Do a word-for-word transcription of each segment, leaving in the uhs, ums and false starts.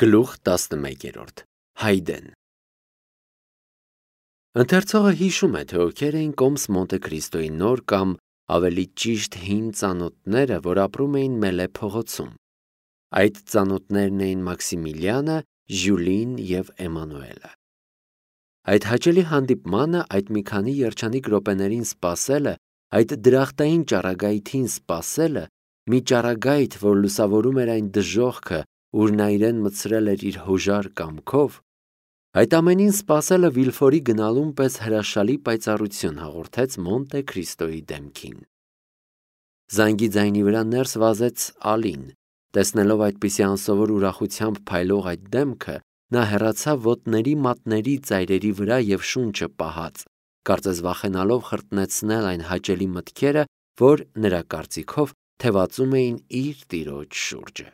Գլուխ տասնմեկերորդ Հայդեն Ընթերցողը հիշում է, թե ովքեր էին կոմս Մոնտե Քրիստոյի նոր կամ ավելի ճիշտ հին ծանոթները, որ ապրում էին Մելե փողոցում։ Այդ ծանոթներն էին Մաքսիմիլիանը, Ժյուլին և Էմանուելը։ Այդ հաճելի հանդիպմանը, այդ մի քանի երջանիկ րոպեներին սպասելը, այդ դրախտային ճառագայթին սպասելը, մի ճառագայթ, որ լուսավորում էր այն դժոխքը, ուր նա իրեն մտցրել էր իր հոժար կամքով, այդ ամենին սպասելը Վիլֆորի գնալուն պես հրաշալի պայծառություն հաղորդեց Մոնտե Քրիստոյի դեմքին։ Զանգի ձայնի վրա ներս վազեց Ալին։ Տեսնելով այդպիսի անսովոր ուրախությամբ փայլող այդ դեմքը, նա հեռացավ ոտների մատների ծայրերի վրա և շունչը պահած, կարծես վախենալով խրտնեցնել այն հաճելի մտքերը, որ, նրա կարծիքով, թևածում էին իր տիրոջ շուրջը։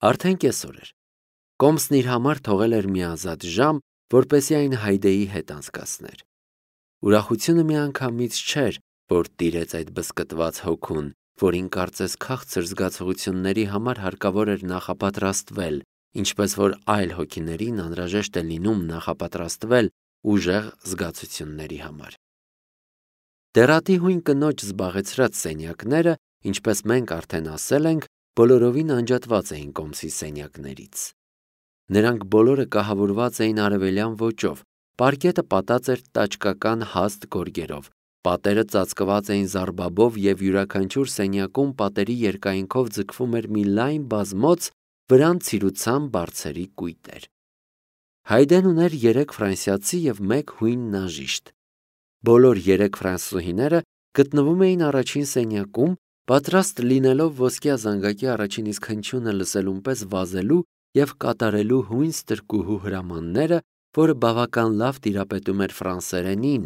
Արդեն կեսօր էր։ Կոմսն իր համար թողել էր մի ազատ ժամ, որպեսզի այն Հայդեի հետ անցկացներ։ Ուրախությունը միանգամից չէր, որ տիրեց այդ բզկտված հոգուն, որին կարծես քաղցր զգացողությունների համար հարկավոր էր նախապատրաստվել, ինչպես որ այլ հոգիներին անհրաժեշտ է լինում նախապատրաստվել ուժեղ զգացությունների համար։ Դեռատի հույն կնոջ զբաղեցրած սենյակները, ինչպես մենք արդեն ասել ենք, բոլորովին անջատված էին կոմսի սենյակներից։ Նրանք բոլորը կահավորված էին արևելյան ոճով, պարկետը պատած էր տաճկական հաստ գորգերով, պատերը ծածկված էին զարբաբով և յուրաքանչյուր սենյակում պատերի երկայնքով ձգվում էր մի լայն բազմոց, վրան ցիրուցան բարձերի կույտեր։ Հայդեն ուներ երեք ֆրանսիացի և մեկ հույն նաժիշտ։ Բոլոր երեք ֆրանսուհիները գտնվում էին առաջին սենյակում, պատրաստ լինելով ոսկյա զանգակի առաջին իսկ հնչյունը լսելուն պես վազելու և կատարելու հույն ստրկուհու հրամանները, որը բավական լավ տիրապետում էր ֆրանսերենին,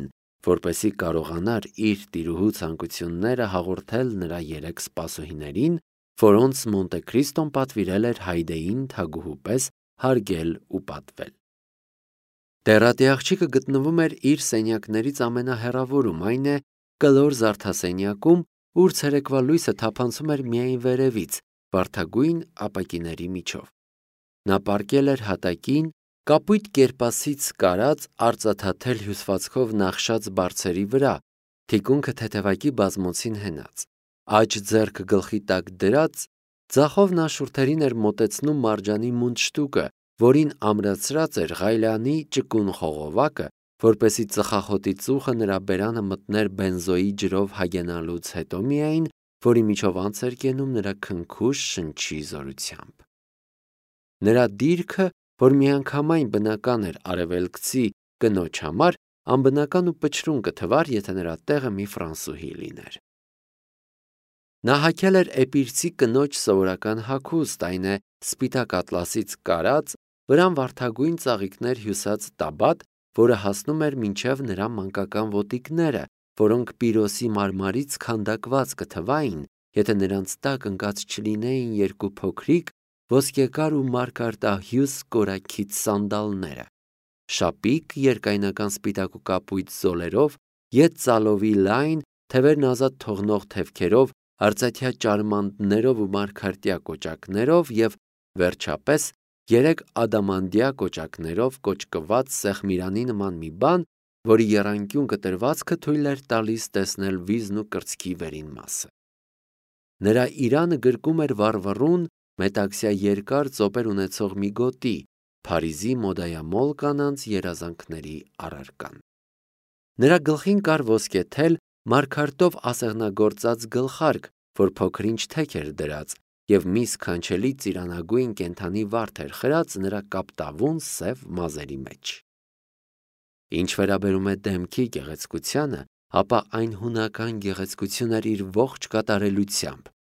որպեսզի կարողանար իր տիրուհու ցանկությունները հաղորդել նրա երեք սպասուհիներին, որոնց Մոնտե Քրիստոն պատվիրել էր Հայդեին թագուհու պես հարգել ու պատվել։ Դեռատի աղջիկը գտնվում էր իր սենյակներից ամենահեռավորում, այն է, կլոր զարդասենյակում, ուր ցերեկվա լույսը թափանցում էր միայն վերևից, վարդագույն ապակիների միջով։ Նա պառկել էր հատակին, կապույտ կերպասից կարած արծաթաթել հյուսվածքով նախշած բարձերի վրա, թիկունքը թեթևակի բազմոցին հենած, աջ ձեռքը գլխի տակ դրած, ձախով նա շուրթերին էր մոտեցնում մարջանի մունդշտուկը, որին ամրացրած էր ղայլանի ճկուն խողովակը, որպեսզի ծխախոտի ծուխը նրա բերանը մտներ բենզոյի ջրով հագենալուց հետո միայն, որի միջով անց էր կենում նրա քնքուշ շնչի զորությամբ։ Նրա դիրքը, որ միանգամայն բնական էր արևելքցի կնոջ համար, անբնական ու պչրուն կթվար, եթե նրա տեղը մի ֆրանսուհի լիներ։ Նա հագել էր էպիրցի կնոջ սովորական հագուստ, այն է սպիտակ ատլասից կարած, վրան վարդագույն ծաղիկներ հյուսած տաբատ, որը հասնում էր մինչև նրա մանկական ոտիկները, որոնք պիրոսի մարմարից քանդակված կթվային, եթե նրանց տակ ընկած չլինեին երկու փոքրիկ, ոսկեկար ու մարգարտահյուս կորաքիթ սանդալները, շապիկ երկայնական սպիտակ ու կապույտ զոլերով, ետ ծալովի լայն, թևերն ազատ թողնող թևքերով, արծաթյա ճարմանտներով ու մարգարտյա կոճակներով և, վերջապես, երեք ադամանդյա կոճակներով կոճկված սեղմիրանի նման մի բան, որի եռանկյուն կտրվածքը թույլ էր տալիս տեսնել վիզն ու կրծքի վերին մասը։ Նրա իրանը գրկում էր վառվռուն, մետաքսյա երկար ծոպեր ունեցող մի գոտի, Փարիզի մոդայամոլ կանանց երազանքների առարկան։ Նրա գլխին կար ոսկե թել, մարգարտով ասեղնագործած գլխարկ, որ փոքր-ինչ թեք էր դրած, և մի սքանչելի ծիրանագույն կենդանի վարդ էր խրած նրա կապտավուն սև մազերի մեջ։ Ինչ վերաբերում է դեմքի գեղեցկությանը, ապա այն հունական գեղեցկություն էր իր ողջ կատարելությամբ,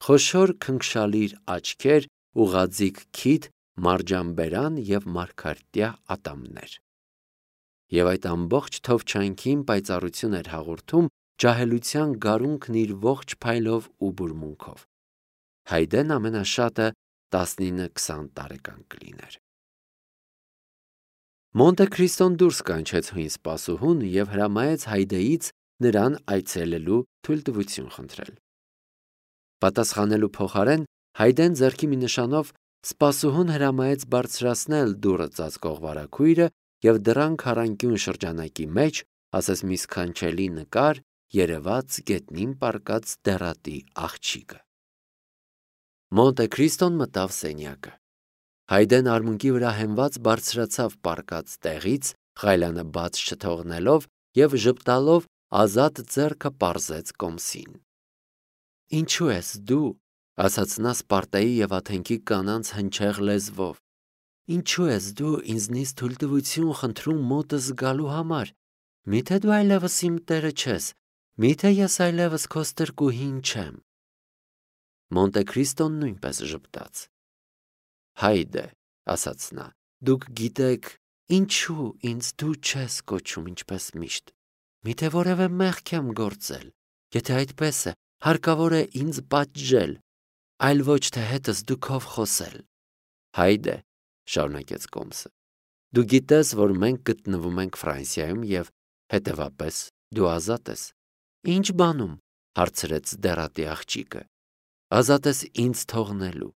խոշոր քնքշալիր աչքեր, ուղղաձիգ քիթ, մարջանբերան և մարգարտյա ատամներ։ Եվ այդ ամբողջ թովչանքին պայծառություն էր հաղորդում ջահելության գարունքն իր ողջ փայլով ու բուրմունքով։ Հայդեն ամենաշատը տասնինը-քսան տարեկան կլիներ։ Մոնտե Քրիստոն դուրս կանչեց հույն սպասուհուն և հրամայեց Հայդեից նրան այցելելու թույլտվություն խնդրել։ Պատասխանելու փոխարեն Հայդեն ձեռքի մի նշանով Սպասուհուն հրամայեց բարձրացնել դուռը ծածկող վարագույրը և դռան քառանկյուն շրջանակի մեջ, ասես մի սքանչելի նկար, երևաց գետնին պառկած դեռատի աղջիկը։ Մոնտե Քրիստոն մտավ սենյակը։ Հայդեն արմունկի վրա հենված բարձրացավ պառկած տեղից, ղայլանը բաց չթողնելով և ժպտալով ազատ ձեռքը պարզեց կոմսին։ «Ինչու ես դու», ասաց նա Սպարտայի և Աթենքի կանանց հնչեղ լեզվով, «ինչու ես դու ինձնից թույլտվություն խնդրում մոտս գալու համար։ Միթե դու այլևս իմ տերը չես, միթե ես այլևս քո ստրկուհին չեմ»։ Մոնտե Քրիստոն նույնպես ժպտաց։ «Հայդե», ասաց նա, «դուք գիտեք, ինչու ինձ դու չես կոչում ինչպես միշտ։ Միթե որևէ մեղք եմ գործել։ Եթե այդպես է, հարկավոր է ինձ պատժել, այլ ոչ թե հետս դուքով խոսել»։ «Հայդե», շարունակեց կոմսը, «դու գիտես, որ մենք գտնվում ենք Ֆրանսիայում և, հետևապես, դու ազատ ես»։ «Ինչ բանում», հարցրեց դեռատի աղջիկը։ «Ազատ ես ինձ թողնելու»։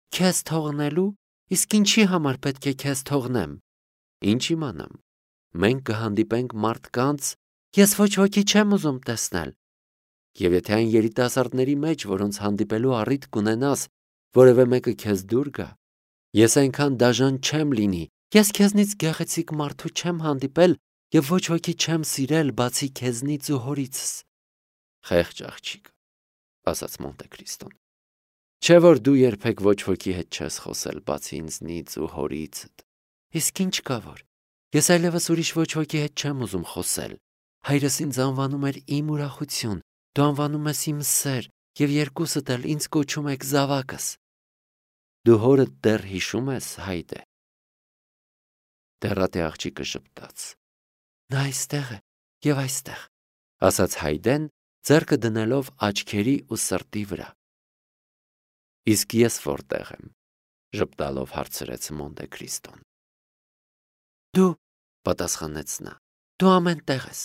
«Քեզ թողնելու, իսկ ինչի համար պետք է քեզ թողնեմ»։ «Ինչ իմանամ, մենք կհանդիպենք մարդկանց, ես ոչ ոքի չեմ ուզում տեսնել։ Եվ եթե այն երիտասարդների մեջ, որոնց հանդիպելու առիթ կունենաս, որևէ մեկը քեզ դուր գա, ես այնքան դաժան չեմ լինի, ես քեզնից գեղեցիկ մարդու չեմ հանդիպել և ոչ ոքի չեմ սիրել, բացի քեզնից ու հորիցս»։ «Խեղճ աղջիկ», ասաց Մոնտե Քրիստոն, «չէ՞ որ դու երբեք ոչ ոքի հետ չես խոսել, բացի ինձնից ու հորիցդ»։ «Իսկ ինչ կա որ, ես այլևս ուրիշ ոչ ոքի հետ չեմ ուզում խոսել։ Հայրս ինձ անվանում էր իմ ուրախություն, դու անվանում ես իմ սեր, և երկուսդ էլ ինձ կոչում եք զավակս։ Դու հորդ դեռ հիշո՞ւմ ես, Հայդե»։ Դեռատի աղջիկը ժպտաց։ «Նա այստեղ է և այստեղ», ասաց Հայդեն, ձեռքը դնելով աչքերի ու սրտի վրա։ «Իսկ ես որտե՞ղ եմ», ժպտալով հարցրեց Մոնտե Քրիստոն։ «Դու», պատասխանեց նա, «դու ամեն տեղ ես»։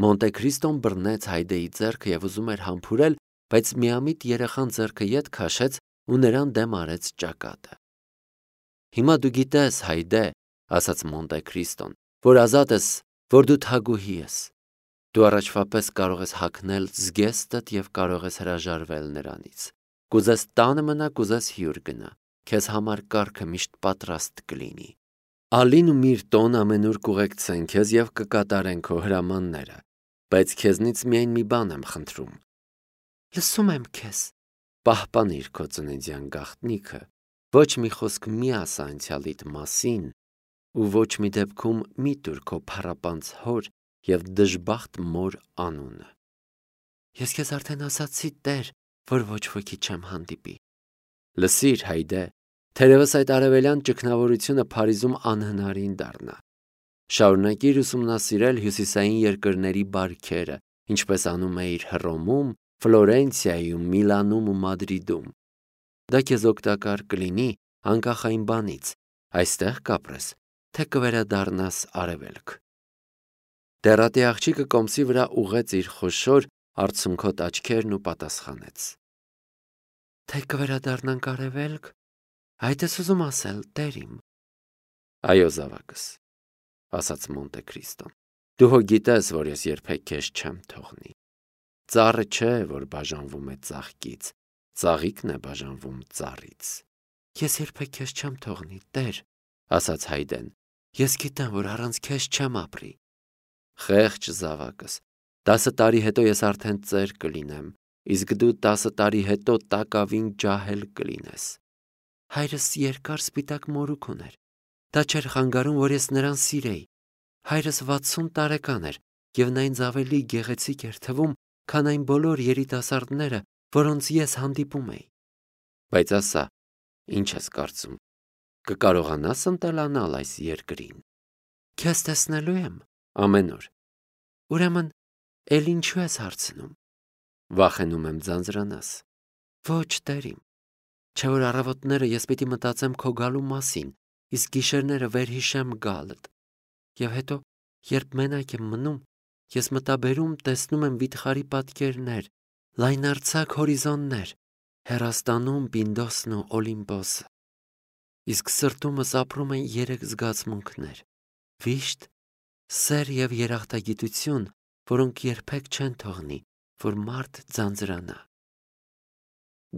Մոնտե Քրիստոն բռնեց Հայդեի ձեռքը և ուզում էր համբուրել, բայց միամիտ երեխան ձեռքը ետ քաշեց ու նրան դեմ արեց ճակատը։ «Հիմա դու գիտես, Հայդե», ասաց Մոնտե Քրիստոն, «որ ազատ ես, որ դու թագուհի ես։ Դու առաջվա պես կարող ես հագնել զգեստդ և կարող ես հրաժարվել նրանից։ Կուզես տանը մնա, կուզես հյուր գնա, քեզ համար կառքը միշտ պատրաստ կլինի։ Ալին ու Միրտոն ամենուր կուղեկցեն քեզ և կկատարեն քո հրամանները, բայց քեզնից միայն մի բան եմ խնդրում։ Լսում եմ քեզ։ Պահպանիր քո ծննդյան գաղտնիքը, ոչ մի խոսք մի ասա անցյալիդ մասին ու ոչ մի դեպքում մի տուր քո փառապանծ հոր և դժբախտ մոր անունը։ Ես քեզ արդեն ասացի, Տեր, որ ոչ ոքի չեմ հանդիպի։ Լսիր, Հայդե, թերևս այդ արևելյան ճգնավորությունը Փարիզում անհնարին դառնա։ Շարունակիր ուսումնասիրել հյուսիսային երկրների բարքերը, ինչպես անում էիր Հռոմում, Ֆլորենցիայում, Միլանում ու Մադրիդում։ Դա քեզ օգտակար կլինի անկախ այն բանից, այստեղ կապրես, թե կվերադառնաս արևելք։ Դեռատի աղջիկը կոմսի վրա ուղղեց իր խոշոր արցունքոտ աչքերն ու պատասխանեց. Թե կվերադառնանք արևելք, այդ ես ուզում ասել, Տեր իմ։ Այո, զավակս, ասաց Մոնտե Քրիստոն, դու հո գիտես, որ ես երբեք քեզ չեմ թողնի։ Ծառը չէ, որ բաժանվում է ծաղկից, ծաղիկն է բաժանվում ծառից։ Ես երբեք քեզ չեմ թողնի, Տեր, ասաց Հայդեն, ես գիտեմ, որ առանց քեզ չեմ ապրի։ Խեղճ զավակս, տասը տարի հետո ես արդեն ծեր կլինեմ, իսկ դու տասը տարի հետո տակավին ջահել կլինես։ Հայրս երկար սպիտակ մորուք ուներ։ Դա չէր խանգարում, որ ես նրան սիրեի։ Հայրս վաթսուն տարեկան էր, և նա ինձ ավելի գեղեցիկ էր թվում, քան այն բոլոր երիտասարդները, որոնց ես հանդիպում էի։ Բայց ասա, ինչ ես կարծում, կկարողանաս ընտելանալ այս երկրին։ Քեզ տեսնելու եմ ամեն օր։ Ուրեմն, էլ ինչու ես հարցնում։ Վախենում եմ ձանձրանաս։ Ոչ, Տեր իմ, չէ որ առավոտները ես պիտի մտածեմ քո գալու մասին, իսկ գիշերները վերհիշեմ գալդ։ Եվ հետո, երբ մենակ եմ մնում, ես մտաբերում տեսնում եմ վիթխարի պատկերներ, լայնարձակ հորիզոններ, հեռաստանում Պինդոսն ու Օլիմպոսը, իսկ սրտումս ապրում են երեք զգացմունքներ՝ վիշտ, սեր և երախտագիտություն, որոնք երբեք չեն թողնի, որ մարդ ձանձրանա։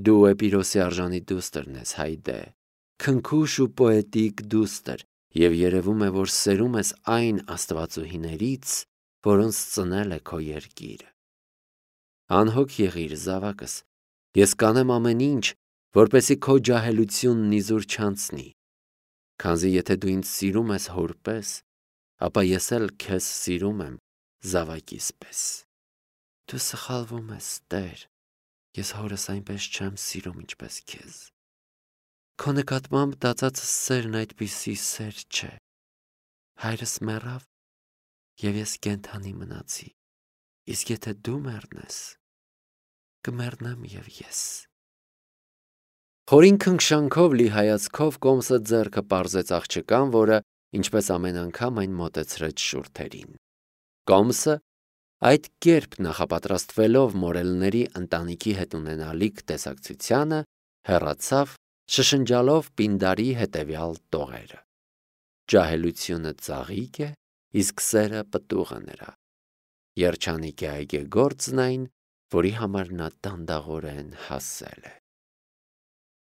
Դու Էպիրոսի արժանի դուստրն ես, Հայդե, քնքուշ ու պոետիկ դուստր, և երևում է, որ սերում ես այն աստվածուհիներից, որոնց ծնել է քո երկիրը։ Անհոգ եղիր, զավակս, ես կանեմ ամեն ինչ, որպեսզի քո ջահելությունն իզուր չանցնի, քանզի եթե դու ինձ սիրում ես հոր պես, ապա ես էլ քեզ սիրում եմ զավակիս պես։ Դու սխալվում ես, Տեր, ես հորս այնպես չեմ սիրում, ինչպես քեզ։ Քո նկատմամբ տածածս սերն այդպիսի սեր չէ։ Հայրս մեռավ, և ես կենդանի մնացի, իսկ եթե դու մեռնես, կմեռնեմ և ես։ Խորին քնքշանքով լի հայացքով Կոմսը ձեռքը պարզեց աղջկան, որը, ինչպես ամեն անգամ, այն մոտեցրեց շուրթերին։ Կոմսը, այդ կերպ նախապատրաստվելով մորելների ընտանիքի հետ ունենալիք տեսակցությանը, հեռացավ, շշնջալով Պինդարի հետևյալ տողերը. ջահելությունը ծաղիկ է, իսկ սերը պտուղը նրա։ Երջանիկ է այգեգործն այն, որի համար նա դանդաղորեն հասել է։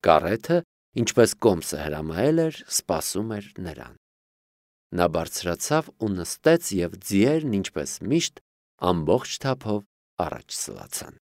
Կարեթը, ինչպես Կոմսը հրամայել էր, սպասում էր նրան։ Նա բարձրացավ ու նստեց, և ձիերն, ինչպես միշտ, ամբողջ թափով առաջ սլացան։